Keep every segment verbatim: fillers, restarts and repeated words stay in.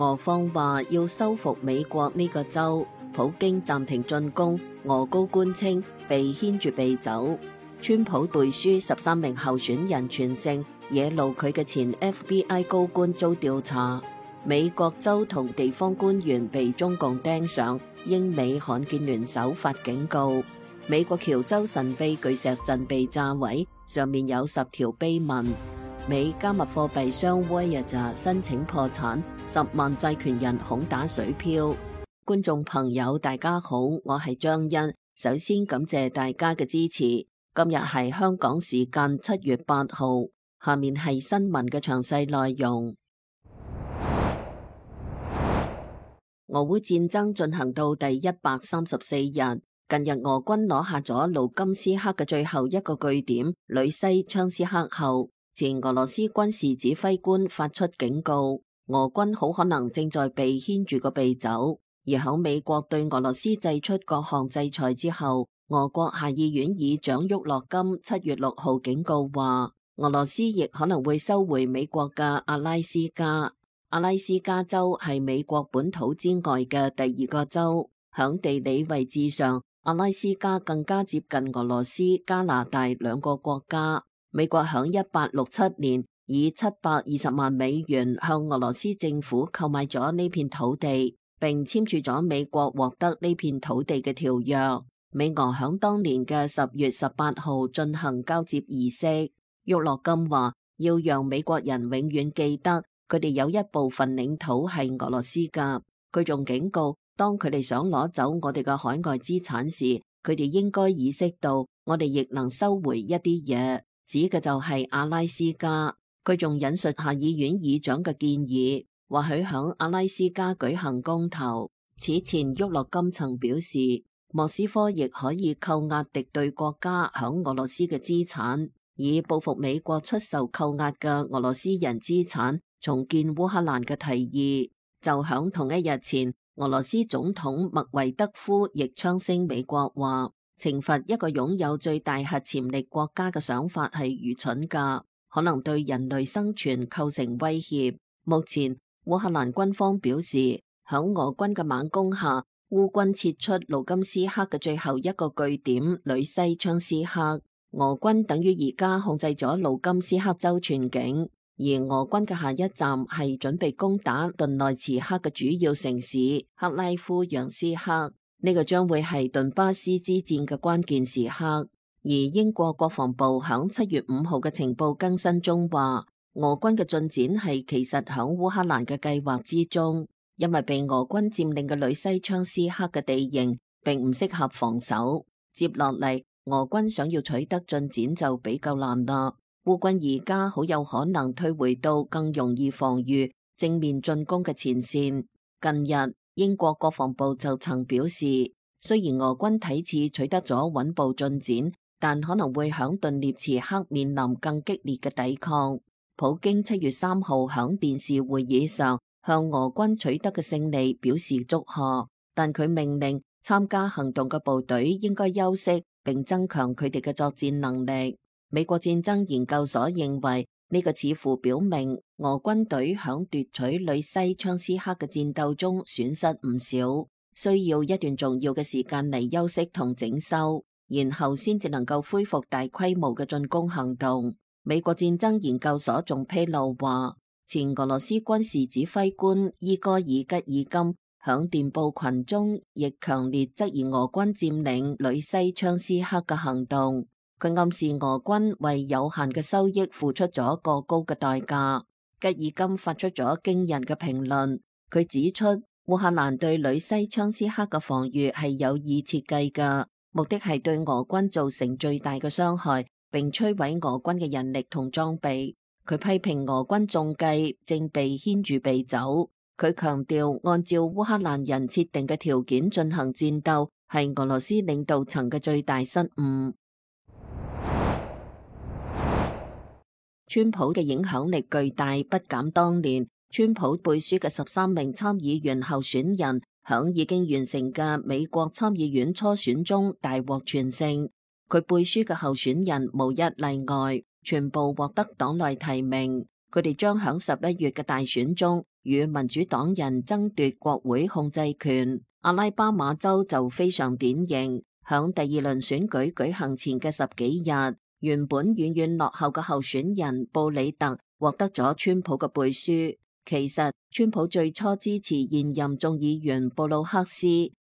俄方話要收復美國呢個州，普京暫停進攻，俄高官稱被牽住鼻走。川普背書十三名候選人全勝，惹怒佢嘅前 F B I 高官遭調查。美國州同地方官員被中共盯上，英美罕見聯手發警告。美國喬州神秘巨石陣被炸毀，上面有十條碑文。美加密貨幣商 Voyager 申請破產，十萬債權人恐打水漂。觀眾朋友大家好，我係張欣，首先感謝大家嘅支持。今日係香港時間七月八號，下面係新聞嘅詳細內容。俄烏戰爭進行到第一百三十四日，近日俄軍攞下咗盧甘斯克嘅最後一個據點呂西昌斯克後，前俄羅斯軍事指揮官發出警告，俄軍好可能正在被牽住個鼻走。而喺美國對俄羅斯祭出各項制裁之後，俄國下議院議長沃洛金七月六號警告話，俄羅斯亦可能會收回美國嘅阿拉斯加。阿拉斯加州係美國本土之外嘅第二個州，響地理位置上，阿拉斯加更加接近俄羅斯、加拿大兩個國家。美國響一八六七年以七百二十萬美元向俄羅斯政府購買咗呢片土地，並簽署咗美國獲得呢片土地嘅條約。美俄響當年嘅十月十八號進行交接儀式。沃洛金話要讓美國人永遠記得佢哋有一部分領土係俄羅斯㗎。佢仲警告，當佢哋想攞走我哋嘅海外資產時，佢哋應該意識到我哋亦能收回一啲嘢，指嘅就係阿拉斯加。佢仲引述下議院議長嘅建議，或許響阿拉斯加舉行公投。此前沃洛金曾表示，莫斯科亦可以扣押敵對國家響俄羅斯嘅資產，以報復美國出售扣押嘅俄羅斯人資產，重建烏克蘭嘅提議。就響同一日前，俄羅斯總統麥維德夫亦槍聲美國話，懲罰一個擁有最大核潛力國家嘅想法係愚蠢㗎，可能對人類生存構成威脅。目前烏克蘭軍方表示，響俄軍嘅猛攻下，烏軍撤出盧甘斯克嘅最後一個據點呂西昌斯克，俄軍等於而家控制咗盧甘斯克州全境，而俄軍嘅下一站係準備攻打頓內茨克嘅主要城市克拉夫揚斯克，呢個將會係頓巴斯之戰嘅關鍵時刻。而英國國防部響七月五號嘅情報更新中話，俄軍嘅進展係其實響烏克蘭嘅計劃之中。因為被俄軍佔領嘅呂西昌斯克嘅地形並唔適合防守，接落嚟俄軍想要取得進展就比較難啦。烏軍而家好有可能退回到更容易防禦、正面進攻嘅前線。近日英國國防部就曾表示，雖然俄軍睇似取得咗穩步進展，但可能會響頓涅茨克面臨更激烈嘅抵抗。普京七月三號響電視會議上向俄軍取得嘅勝利表示祝賀，但佢命令參加行動嘅部隊應該休息並增強佢哋嘅作戰能力。美國戰爭研究所認為呢個似乎表明俄軍隊響奪取呂西昌斯克嘅戰鬥中損失唔少，需要一段重要嘅時間嚟休息同整修，然後先至能夠恢復大規模嘅進攻行動。美國戰爭研究所仲披露話，前俄羅斯軍事指揮官伊戈爾吉爾金響電報群中亦強烈質疑俄軍佔領呂西昌斯克嘅行動。佢暗示俄軍為有限嘅收益付出咗過高嘅代價。吉爾金發出咗驚人嘅評論，佢指出烏克蘭對呂西昌斯克嘅防禦係有意設計㗎，目的係對俄軍造成最大嘅傷害，並摧毀俄軍嘅人力同裝備。佢批評俄軍中計正被牽住鼻走。佢強調，按照烏克蘭人設定嘅條件進行戰鬥，係俄羅斯領導層嘅最大失誤。川普嘅影響力巨大，不減當年。川普背書嘅十三名參議員候選人，響已經完成嘅美國參議院初選中大獲全勝。佢背書嘅候選人無一例外，全部獲得黨內提名。佢哋將響十一月嘅大選中與民主黨人爭奪國會控制權。阿拉巴馬州就非常典型，響第二輪選舉舉行前嘅十幾日，原本遠遠落後嘅候選人布里特獲得咗川普嘅背書。其實川普最初支持現任眾議員布魯克斯，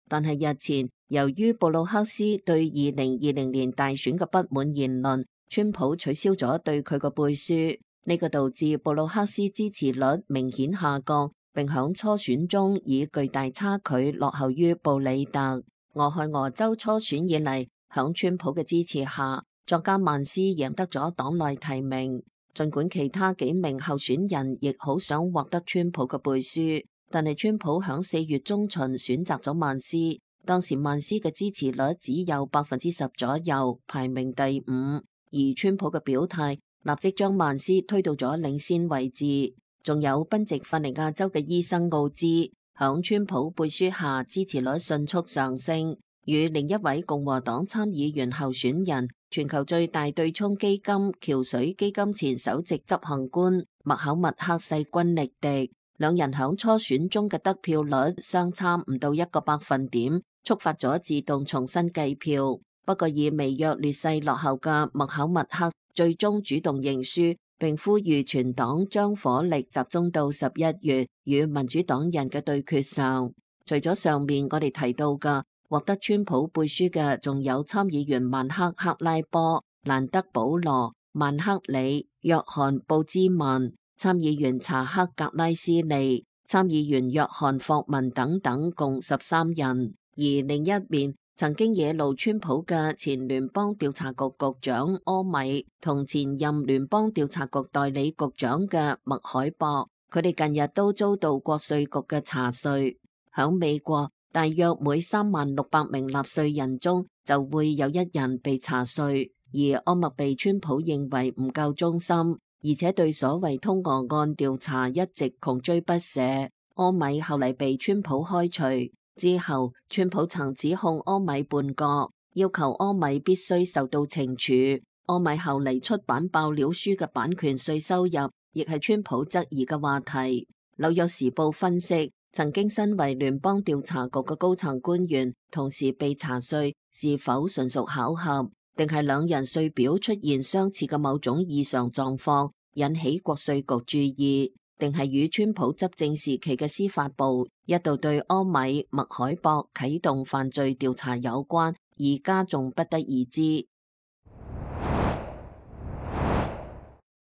但係日前由於布魯克斯對二零二零年大選嘅不滿言論，川普取消咗對佢嘅背書，呢個導致布魯克斯支持率明顯下降，並響初選中以巨大差距落後於布里特。俄亥俄州初選以嚟，響川普嘅支持下，作家曼斯贏得咗黨內提名。儘管其他幾名候選人亦好想獲得川普嘅背書，但係川普響四月中旬選擇咗曼斯。當時曼斯嘅支持率只有百分之十左右，排名第五。而川普嘅表態立即將曼斯推到咗領先位置。仲有賓夕法尼亞州嘅醫生奧茲，響川普背書下支持率迅速上升，與另一位共和黨參議員候選人，全球最大對沖基金橋水基金前首席執行官麥考默克勢均力敵，兩人響初選中嘅得票率相差唔到一個百分點，觸發咗自動重新計票。不過以微弱劣勢落後嘅麥考默克最終主動認輸，並呼籲全黨將火力集中到十一月與民主黨人嘅對決上。除咗上面我哋提到嘅獲得川普背書嘅，仲有參議員曼克克拉波、蘭德保羅、曼克里、約翰布茲曼、參議員查克格拉斯利、參議員約翰霍文等等，共十三人。而另一面，曾經惹怒川普嘅前聯邦調查局局長柯米同前任聯邦調查局代理局長嘅麥凱博，佢哋近日都遭到國稅局嘅查稅。響美國，大約每三萬六百名納稅人中就會有一人被查稅，而柯密被川普認為唔夠忠心，而且對所謂通俄案調查一直窮追不捨。柯米後嚟被川普開除之後，川普曾指控柯米叛國，要求柯米必須受到懲處。柯米後嚟出版爆料書嘅版權稅收入，亦係川普質疑嘅話題。紐約時報分析，曾經身為聯邦調查局嘅高層官員，同時被查稅，是否純屬巧合，定係兩人稅表出現相似嘅某種異常狀況，引起國稅局注意，定係與川普執政時期嘅司法部一度對柯米、麥凱博啟動犯罪調查有關，而家仲不得而知。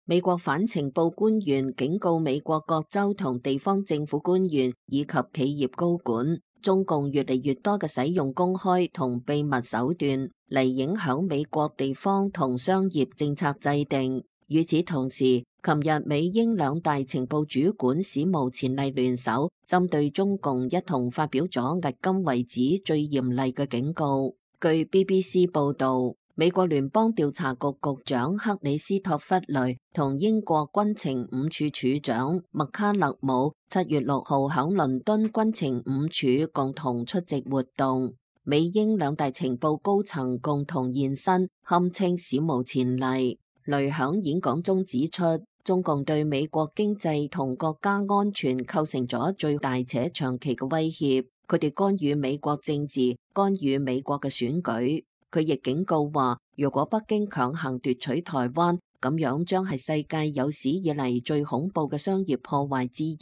美國反情報官員警告美國各州同地方政府官員以及企業高管，中共越嚟越多嘅使用公開同秘密手段嚟影響美國地方同商業政策制定。與此同時，琴日美英兩大情報主管史無前例聯手，針對中共一同發表咗迄今為止最嚴厲嘅警告。據 B B C 報道，美國聯邦調查局局長克里斯托弗雷同英國軍情五處處長麥卡勒姆七月六號響倫敦軍情五處共同出席活動，美英兩大情報高層共同現身，堪稱史無前例。雷響演講中指出，中共對美國經濟同國家安全構成咗最大且長期嘅威脅，佢哋干預美國政治，干預美國嘅選舉。佢亦警告話，如果北京強行奪取台灣，咁樣將係世界有史以嚟最恐怖嘅商業破壞之一。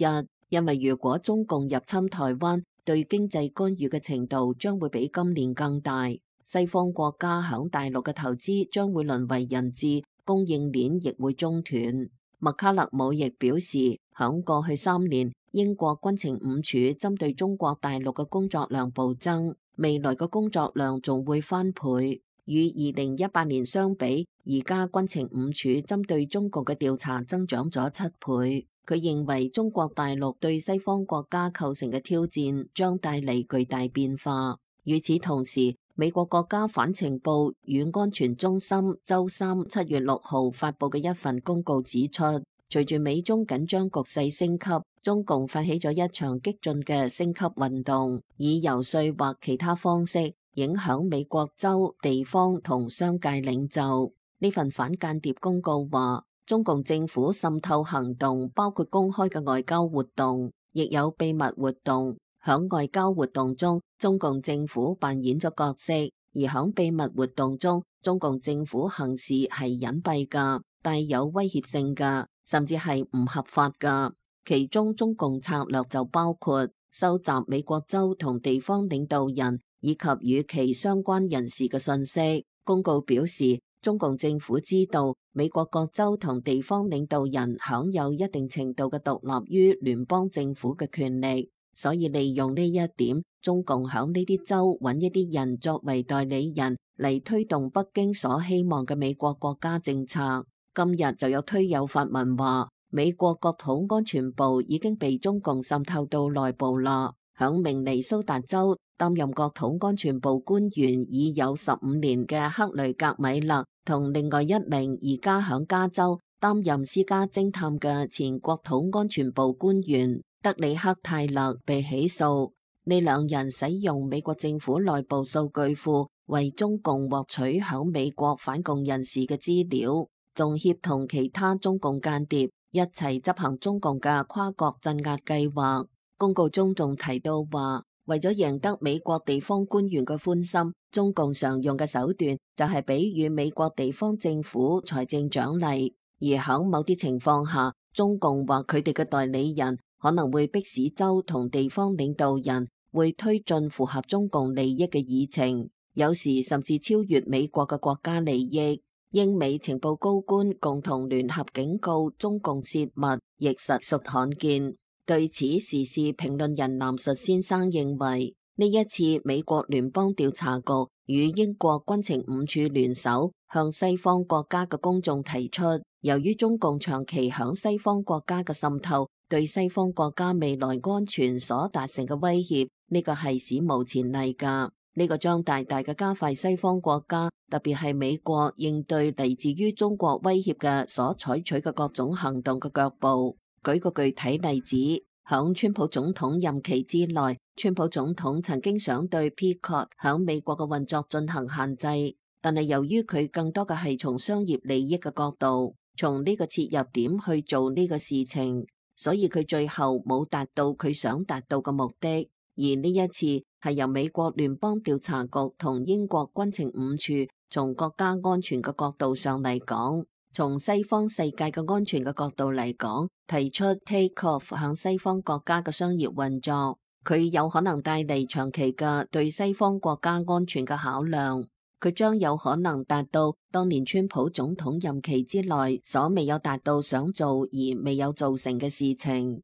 因為如果中共入侵台灣，對經濟干預嘅程度將會比今年更大。西方國家響大陸嘅投資將會淪為人質，供應鏈亦會中斷。麥卡勒姆亦表示，響過去三年，英國軍情五處針對中國大陸嘅工作量暴增，未來嘅工作量仲會翻倍。與二零一八年相比，而家軍情五處針對中國嘅調查增長咗七倍。佢認為中國大陸對西方國家構成嘅挑戰將帶嚟巨大變化。與此同時，美國國家反情報與安全中心周三七月六號發佈嘅一份公告指出，隨住美中緊張局勢升級，中共發起咗一場激進嘅升級運動，以遊說或其他方式影響美國州、地方同商界領袖。呢份反間諜公告話，中共政府滲透行動包括公開嘅外交活動，亦有秘密活動。響外交活動中，中共政府扮演咗角色，而響秘密活動中，中共政府行事係隱蔽噶，帶有威脅性噶，甚至係唔合法噶。其中中共策略就包括收集美國州同地方領導人以及與其相關人士嘅信息。公告表示，中共政府知道美國各州同地方領導人享有一定程度嘅獨立於聯邦政府嘅權力，所以利用呢一點，中共響呢啲州揾一啲人作為代理人嚟推動北京所希望嘅美國國家政策。今日就有推友發文話，美國國土安全部已經被中共滲透到內部啦。響明尼蘇達州擔任國土安全部官員已有十五年嘅克雷格米勒，同另外一名而家響加州擔任私家偵探嘅前國土安全部官員德里克泰勒被起訴。呢兩人使用美國政府內部數據庫為中共獲取響美國反共人士嘅資料，仲協同其他中共間諜一齊執行中共嘅跨國鎮壓計劃。公告中仲提到話，為咗贏得美國地方官員嘅歡心，中共常用嘅手段就係給予美國地方政府財政獎勵，而響某啲情況下，中共或佢哋嘅代理人可能會迫使州同地方領導人會推進符合中共利益嘅議程，有時甚至超越美國嘅國家利益。英美情報高官共同聯合警告中共泄密，亦實屬罕見。對此，時事評論人藍述先生認為，呢一次美國聯邦調查局與英國軍情五處聯手向西方國家嘅公眾提出，由於中共長期響西方國家嘅滲透，對西方國家未來安全所達成嘅威脅，呢個係史無前例㗎。呢個將大大嘅加快西方國家，特別係美國應對嚟自於中國威脅嘅所採取嘅各種行動嘅腳步。舉個具體例子，響川普總統任期之內，川普總統曾經想對 Peacock 響美國嘅運作進行限制，但係由於佢更多嘅係從商業利益嘅角度，從呢個切入點去做呢個事情，所以佢最後冇達到佢想達到嘅目的。而呢一次係由美國聯邦調查局同英國軍情五處從國家安全嘅角度上嚟講，從西方世界嘅安全嘅角度嚟講，提出 take off 向西方國家嘅商業運作，佢有可能帶嚟長期嘅對西方國家安全嘅考量，佢將有可能達到當年川普總統任期之內所未有達到想做而未有做成嘅事情。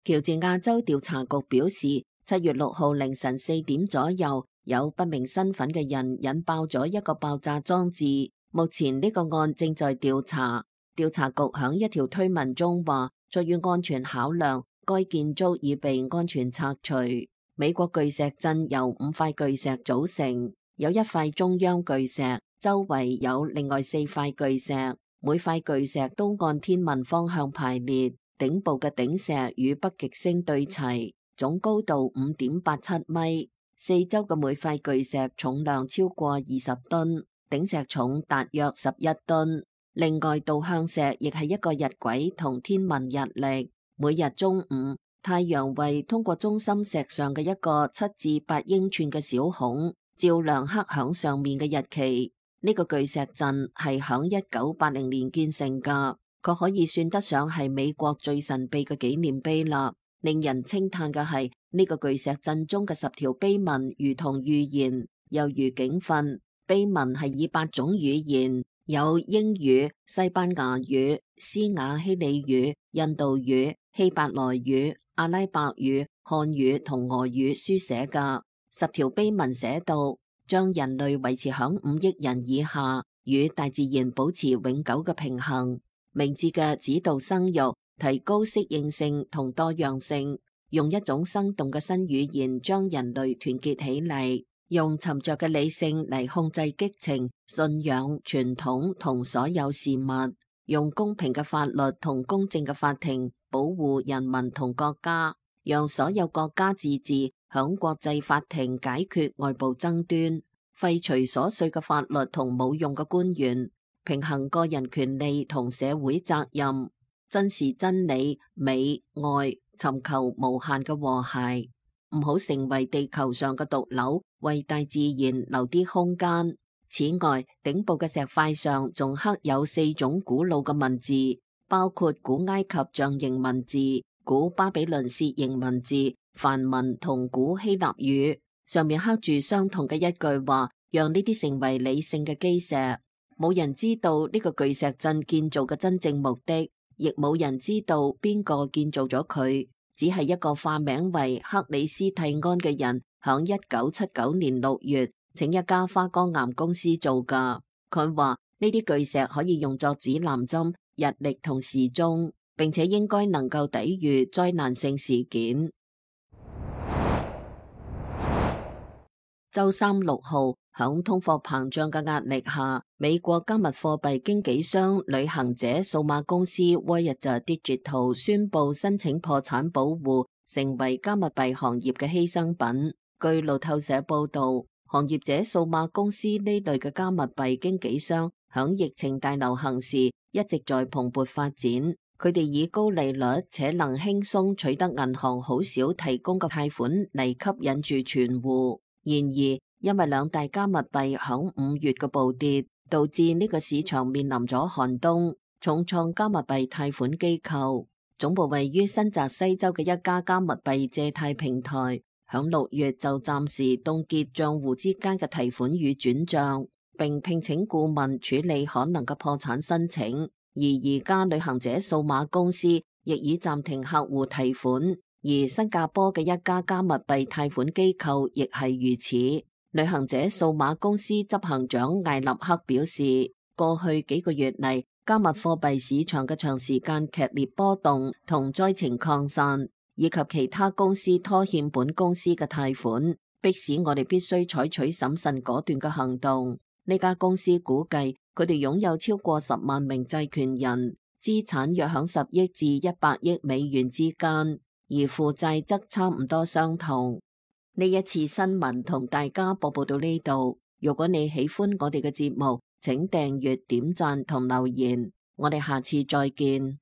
喬治亞州調查局表示，七月六號凌晨四點左右，有不明身份嘅人引爆咗一個爆炸裝置。目前呢個案正在調查。調查局響一條推文中話，出於安全考量，該建築已被安全拆除。美國巨石陣由五塊巨石組成，有一塊中央巨石，周圍有另外四塊巨石，每塊巨石都按天文方向排列。頂部嘅頂石與北極星對齊，總高度五點八七米。四周嘅每塊巨石重量超過二十噸，頂石重達約十一噸。另外，導向石亦係一個日晷同天文日曆。每日中午，太陽為通過中心石上嘅一個七至八英寸嘅小孔，照亮刻響上面嘅日期。呢、這個巨石陣係響一九八零年建成噶。佢可以算得上係美國最神秘嘅紀念碑啦。令人稱嘆嘅係呢個巨石陣中嘅十條碑文，如同預言，猶如警訓。碑文係以八種語言，有英語、西班牙語、斯瓦希里語、印度語、希伯來語、阿拉伯語、漢語同俄語書寫㗎。十條碑文寫道，將人類維持響五億人以下，與大自然保持永久嘅平衡。明智嘅指導生育，提高適應性同多樣性，用一種生動嘅新語言將人類團結起嚟，用沉着嘅理性嚟控制激情、信仰、傳統同所有事物，用公平嘅法律同公正嘅法庭保護人民同國家，讓所有國家自治響國際法庭解決外部爭端。廢除瑣碎嘅法律同冇用嘅官員，平衡個人權利同社會責任，珍視真理、美、愛，尋求無限嘅和諧，唔好成為地球上嘅毒瘤，為大自然留啲空間。此外，頂部嘅石塊上仲刻有四種古老嘅文字，包括古埃及象形文字、古巴比倫楔形文字、梵文同古希臘語，上面刻住相同嘅一句話，讓呢啲成為理性嘅基石。冇人知道呢個巨石陣建造嘅真正目的，亦冇人知道邊個建造咗佢，只係一個化名為克里斯蒂安嘅人響一九七九年六月請一家花崗岩公司做㗎。佢話呢啲巨石可以用作指南針、日曆同時鐘，並且應該能夠抵禦災難性事件。周三六號，響通貨膨脹嘅壓力下，美國加密貨幣經紀商旅行者數碼公司 Voyager Digital 宣布申請破產保護，成為加密幣行業嘅犧牲品。據路透社報道，行業者數碼公司呢類嘅加密幣經紀商響疫情大流行時一直在蓬勃發展。佢哋以高利率且能輕鬆取得銀行好少提供嘅貸款嚟吸引住存戶。然而，因為兩大加密幣響五月嘅暴跌，導致呢個市場面臨咗寒冬。重創加密幣貸款機構總部位於新澤西州嘅一家加密幣借貸平台，響六月就暫時凍結賬戶之間嘅提款與轉賬，並聘請顧問處理可能嘅破產申請。而而家旅行者數碼公司亦已暫停客戶提款。而新加坡嘅一家加密幣貸款機構亦係如此。旅行者數碼公司執行長艾立克表示，過去幾個月嚟，加密貨幣市場嘅長時間劇烈波動同災情擴散，以及其他公司拖欠本公司嘅貸款，迫使我哋必須採取審慎果斷嘅行動。呢家公司估計佢哋擁有超過十萬名債權人，資產約響十億至一百億美元之間。而負債則差唔多相同。呢一次新聞同大家播報到呢度。如果你喜歡我哋嘅節目，請訂閱、點讚同留言。我哋下次再見。